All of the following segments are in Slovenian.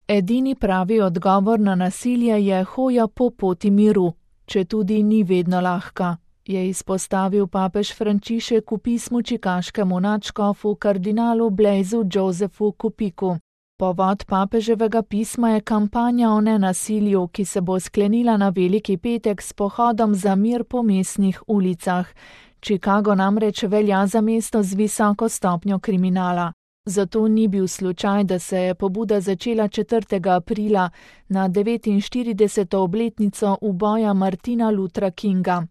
Edini pravi odgovor na nasilje je hoja po poti miru, četudi ni vedno lahka, je izpostavil papež Frančišek v pismu čikaškemu nadškofu kardinalu Blaisu Josephu Kupiku. Povod papeževega pisma je kampanja o nenasilju, ki se bo sklenila na Veliki petek s pohodom za mir po mestnih ulicah. Chicago namreč velja za mesto z visoko stopnjo kriminala. Zato ni bil slučaj, da se je pobuda začela 4. aprila na 49. obletnico uboja Martina Luthera Kinga.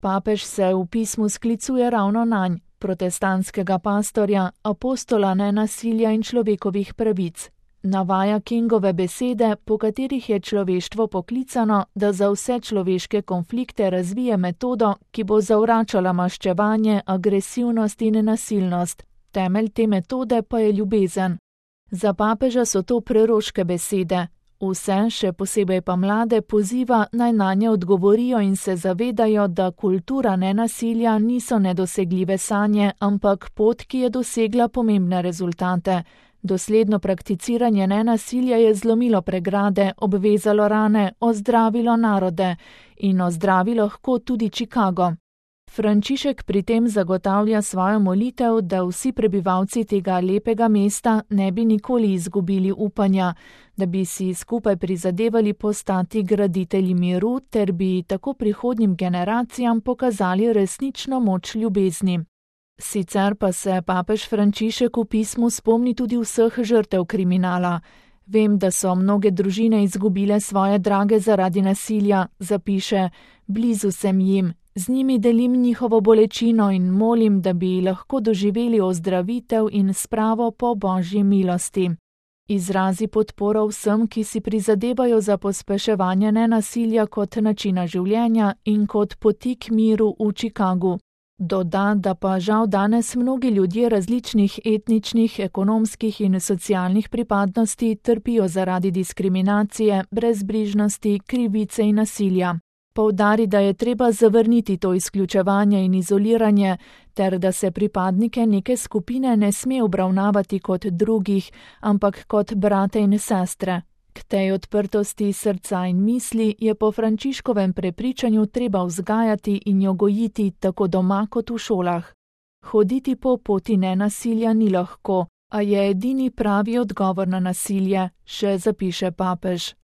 Papež se v pismu sklicuje ravno nanj, protestantskega pastorja, apostola nenasilja in človekovih pravic. Navaja Kingove besede, po katerih je človeštvo poklicano, da za vse človeške konflikte razvije metodo, ki bo zavračala maščevanje, agresivnost in nasilnost. Temelj te metode pa je ljubezen. Za papeža so to preroške besede. Vse, še posebej pa mlade, poziva naj nanje odgovorijo in se zavedajo, da kultura nenasilja niso nedosegljive sanje, ampak pot, ki je dosegla pomembne rezultate. Dosledno prakticiranje nenasilja je zlomilo pregrade, obvezalo rane, ozdravilo narode in ozdravi lahko tudi Chicago. Frančišek pri tem zagotavlja svojo molitev, da vsi prebivalci tega lepega mesta ne bi nikoli izgubili upanja, da bi si skupaj prizadevali postati graditelji miru ter bi tako prihodnjim generacijam pokazali resnično moč ljubezni. Sicer pa se papež Frančišek v pismu spomni tudi vseh žrtev kriminala. Vem, da so mnoge družine izgubile svoje drage zaradi nasilja, zapiše, blizu sem jim. Z njimi delim njihovo bolečino in molim, da bi lahko doživeli ozdravitev in spravo po Božji milosti. Izrazi podporo vsem, ki si prizadevajo za pospeševanje nenasilja kot načina življenja in kot poti k miru v Chicagu. Doda, da pa žal danes mnogi ljudje različnih etničnih, ekonomskih in socialnih pripadnosti trpijo zaradi diskriminacije, brezbrižnosti, krivice in nasilja. Poudari, da je treba zavrniti to izključevanje in izoliranje, ter da se pripadnike neke skupine ne sme obravnavati kot drugih, ampak kot brate in sestre. K tej odprtosti srca in misli je po Frančiškovem prepričanju treba vzgajati in jo gojiti tako doma kot v šolah. Hoditi po poti nenasilja ni lahko, a je edini pravi odgovor na nasilje, še zapiše papež.